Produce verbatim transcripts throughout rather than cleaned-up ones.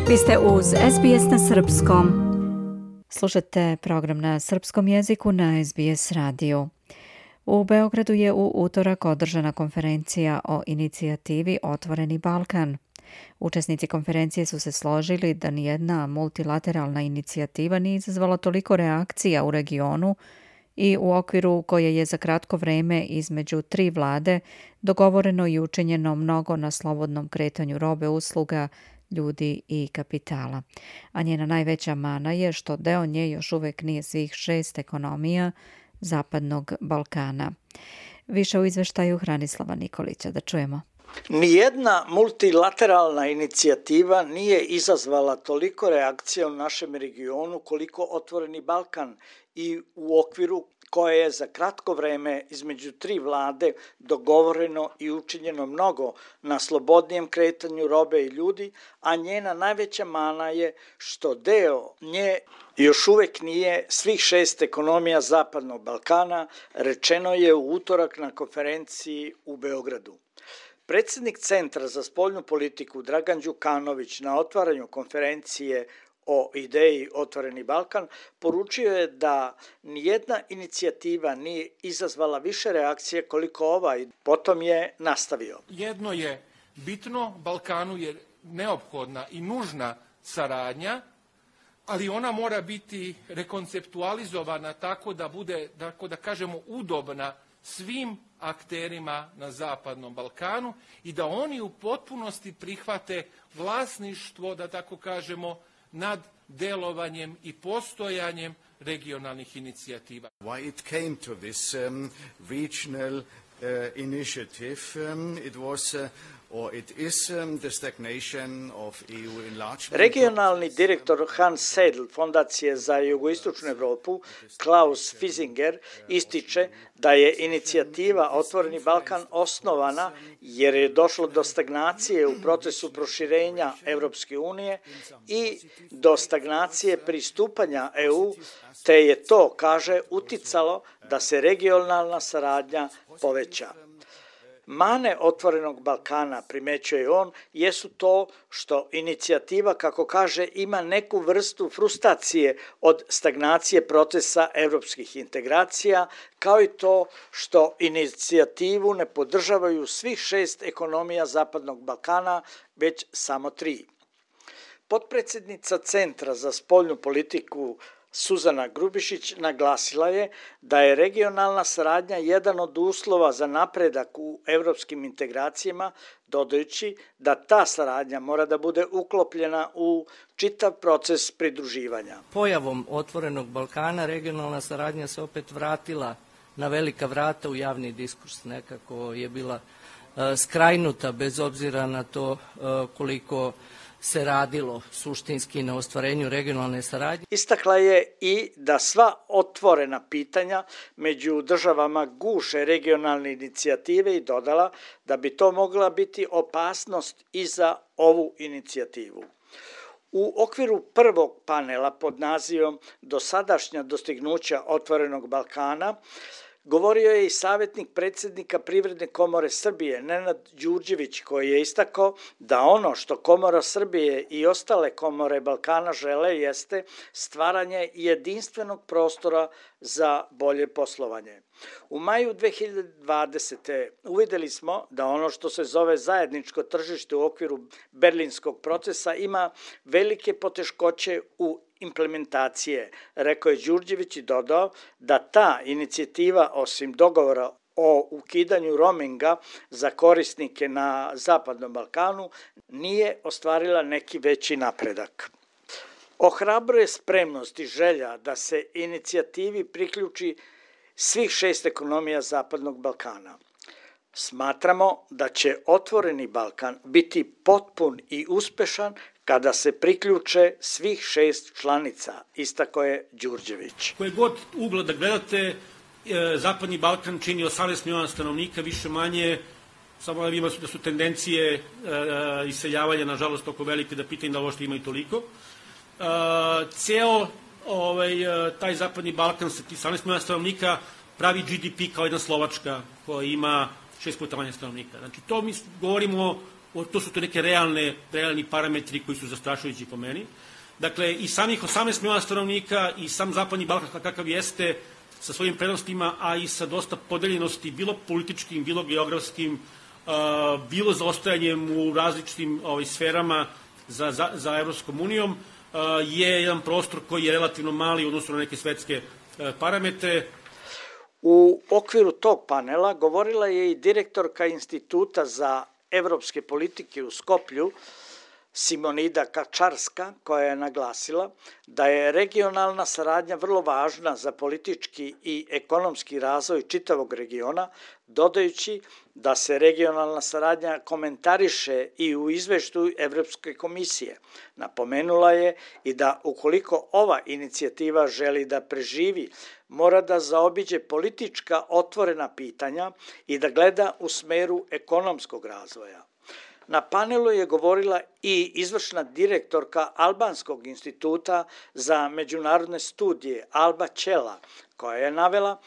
Vi ste uz S B S na srpskom. Slušate program na srpskom jeziku na S B S radiju. U Beogradu je u utorak održana konferencija o inicijativi Otvoreni Balkan. Učesnici konferencije su se složili da nijedna multilateralna inicijativa nije izazvala toliko reakcija u regionu i u okviru koje je za kratko vreme između tri vlade dogovoreno i učinjeno mnogo na slobodnom kretanju robe, usluga, ljudi i kapitala. A njena najveća mana je što deo nje još uvek nije svih šest ekonomija Zapadnog Balkana. Više u izveštaju Hranislava Nikolića. Da čujemo. Nijedna multilateralna inicijativa nije izazvala toliko reakcija u našem regionu koliko Otvoreni Balkan i u okviru koje je za kratko vreme između tri vlade dogovoreno i učinjeno mnogo na slobodnijem kretanju robe i ljudi, a njena najveća mana je što deo nje još uvek nije svih šest ekonomija Zapadnog Balkana, rečeno je u utorak na konferenciji u Beogradu. Predsjednik Centra za spoljnu politiku Dragan Đukanović na otvaranju konferencije o ideji Otvoreni Balkan poručio je da nijedna inicijativa nije izazvala više reakcije koliko ova i potom je nastavio. Jedno je bitno, Balkanu je neophodna i nužna saradnja, ali ona mora biti rekonceptualizovana tako da bude, tako da kažemo, udobna svim akterima na Zapadnom Balkanu i da oni u potpunosti prihvate vlasništvo, da tako kažemo, nad delovanjem i postojanjem regionalnih inicijativa. Why it came to this um, regional uh, initiative, um, it was uh, or it is um, the stagnation of E U enlargement. Regionalni direktor Hans Seidl Fondacije za jugoistočnu Evropu Klaus Fisinger ističe da je inicijativa Otvoreni Balkan osnovana jer je došlo do stagnacije u procesu proširenja Evropske unije i do stagnacije pristupanja E U, te je to, kaže, uticalo da se regionalna saradnja poveća. Mane Otvorenog Balkana, primećuje on, jesu to što inicijativa, kako kaže, ima neku vrstu frustracije od stagnacije procesa evropskih integracija, kao i to što inicijativu ne podržavaju svih šest ekonomija Zapadnog Balkana, već samo tri. Potpredsjednica Centra za spoljnu politiku Suzana Grubišić naglasila je da je regionalna saradnja jedan od uslova za napredak u evropskim integracijama, dodajući da ta saradnja mora da bude uklopljena u čitav proces pridruživanja. Pojavom Otvorenog Balkana regionalna saradnja se opet vratila na velika vrata u javni diskurs. Nekako je bila uh, skrajnuta bez obzira na to uh, koliko se radilo suštinski na ostvarenju regionalne saradnje. Istakla je i da sva otvorena pitanja među državama guše regionalne inicijative i dodala da bi to mogla biti opasnost i za ovu inicijativu. U okviru prvog panela pod nazivom Dosadašnja dostignuća Otvorenog Balkana govorio je i savjetnik predsjednika Privredne komore Srbije, Nenad Đurđević, koji je istakao da ono što Komora Srbije i ostale komore Balkana žele jeste stvaranje jedinstvenog prostora za bolje poslovanje. U maju dve hiljade dvadesete. uvideli smo da ono što se zove zajedničko tržište u okviru berlinskog procesa ima velike poteškoće u implementacije, rekao je Đurđević i dodao da ta inicijativa, osim dogovora o ukidanju roaminga za korisnike na Zapadnom Balkanu, nije ostvarila neki veći napredak. Ohrabruje spremnost i želja da se inicijativi priključi svih šest ekonomija Zapadnog Balkana. Smatramo da će Otvoreni Balkan biti potpun i uspešan kada se priključe svih šest članica, istako je Đurđević. Koje god ugla da gledate, Zapadni Balkan čini osamnaest miliona stanovnika, više manje, samo da vidimo da su tendencije iseljavanja, nažalost, toliko velike da pitanje da uopšte imaju toliko. Ceo ovaj, taj Zapadni Balkan sa osamnaest miliona stanovnika pravi G D P kao jedna Slovačka koja ima šest puta manje stanovnika. Znači, to mi govorimo to su to neke realne, realni parametri koji su zastrašujući po meni. Dakle, i samih osamnaest miliona stanovnika i sam Zapadni Balkan kakav jeste sa svojim prednostima, a i sa dosta podeljenosti, bilo političkim, bilo geografskim, bilo zaostajanjem u različitim ovaj, sferama za, za, za Evropskom unijom, je jedan prostor koji je relativno mali u odnosu na neke svetske parametre. U okviru tog panela govorila je i direktorka Instituta za evropske politike u Skoplju, Simonida Kačarska, koja je naglasila da je regionalna saradnja vrlo važna za politički i ekonomski razvoj čitavog regiona, dodajući da se regionalna saradnja komentariše i u izveštaju Evropske komisije. Napomenula je i da ukoliko ova inicijativa želi da preživi, mora da zaobiđe politička otvorena pitanja i da gleda u smeru ekonomskog razvoja. Na panelu je govorila i izvršna direktorka Albanskog instituta za međunarodne studije Alba Ćela, koja je navela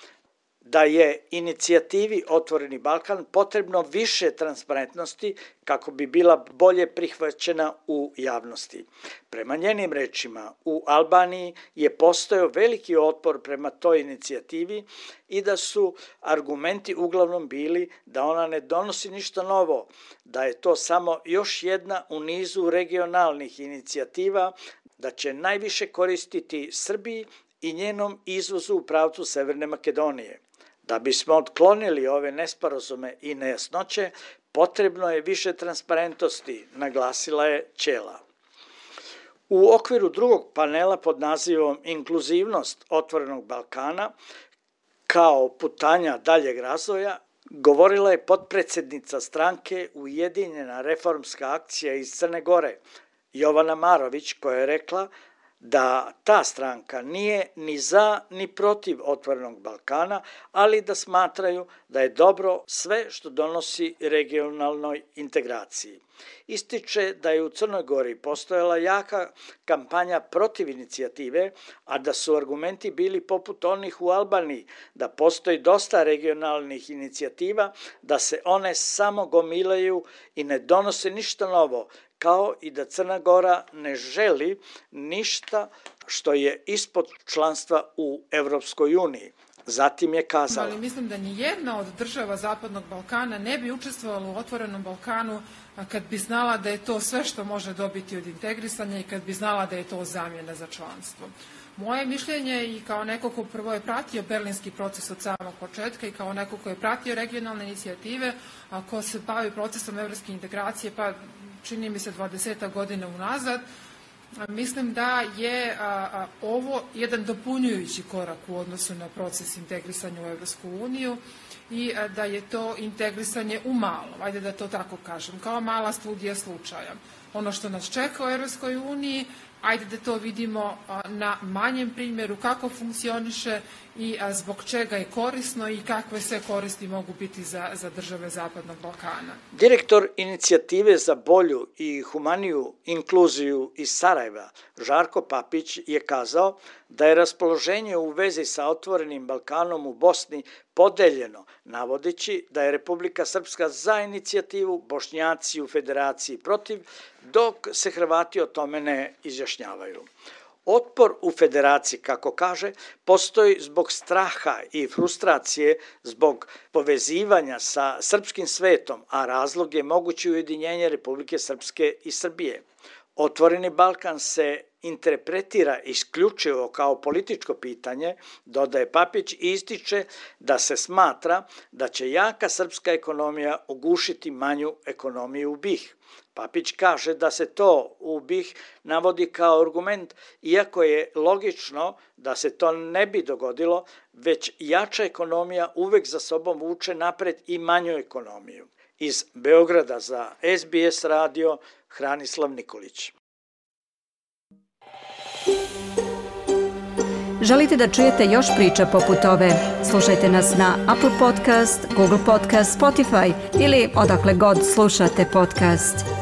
da je inicijativi Otvoreni Balkan potrebno više transparentnosti kako bi bila bolje prihvaćena u javnosti. Prema njenim rečima, u Albaniji je postojao veliki otpor prema toj inicijativi i da su argumenti uglavnom bili da ona ne donosi ništa novo, da je to samo još jedna u nizu regionalnih inicijativa, da će najviše koristiti Srbiji i njenom izvozu u pravcu Severne Makedonije. Da bismo otklonili ove nesporazume i nejasnoće, potrebno je više transparentnosti, naglasila je Ćela. U okviru drugog panela pod nazivom Inkluzivnost Otvorenog Balkana kao putanja daljeg razvoja, govorila je potpredsednica stranke Ujedinjena reformska akcija iz Crne Gore, Jovana Marović, koja je rekla da ta stranka nije ni za ni protiv Otvorenog Balkana, ali da smatraju da je dobro sve što donosi regionalnoj integraciji. Ističe da je u Crnoj Gori postojala jaka kampanja protiv inicijative, a da su argumenti bili poput onih u Albaniji, da postoji dosta regionalnih inicijativa, da se one samo gomilaju i ne donose ništa novo, kao i da Crna Gora ne želi ništa što je ispod članstva u Evropskoj uniji. Zatim je kazala: Ali mislim da ni jedna od država Zapadnog Balkana ne bi učestvovala u Otvorenom Balkanu kad bi znala da je to sve što može dobiti od integrisanja i kad bi znala da je to zamjena za članstvo. Moje mišljenje i kao neko ko prvo je pratio berlinski proces od samog početka i kao neko ko je pratio regionalne inicijative, a ko se bavi procesom evropske integracije, pa čini mi se dvadeset godina unazad, mislim da je a, a, ovo jedan dopunjujući korak u odnosu na proces integrisanja u Evropsku uniju i a, da je to integrisanje u malo, ajde da to tako kažem, kao mala studija slučaja. Ono što nas čeka u Evropskoj uniji, ajde da to vidimo a, na manjem primjeru kako funkcioniše i a, zbog čega je korisno i kakve sve koristi mogu biti za, za države Zapadnog Balkana. Direktor inicijative za bolju i humaniju inkluziju iz Sarajeva, Žarko Papić, je kazao da je raspoloženje u vezi sa Otvorenim Balkanom u Bosni podeljeno, navodeći da je Republika Srpska za inicijativu, Bošnjaci u Federaciji protiv, dok se Hrvati o tome ne izjašnjavaju. Otpor u Federaciji, kako kaže, postoji zbog straha i frustracije zbog povezivanja sa srpskim svetom, a razlog je moguće ujedinjenje Republike Srpske i Srbije. Otvoreni Balkan se interpretira isključivo kao političko pitanje, dodaje Papić, i ističe da se smatra da će jaka srpska ekonomija ugušiti manju ekonomiju u B i H. Papić kaže da se to u B i H navodi kao argument, iako je logično da se to ne bi dogodilo, već jača ekonomija uvek za sobom vuče napred i manju ekonomiju. Iz Beograda za S B S radio, Hranislav Nikolić. Želite da čujete još priča poput ove? Slušajte nas na Apple Podcast, Google Podcast, Spotify ili odakle god slušate podcast.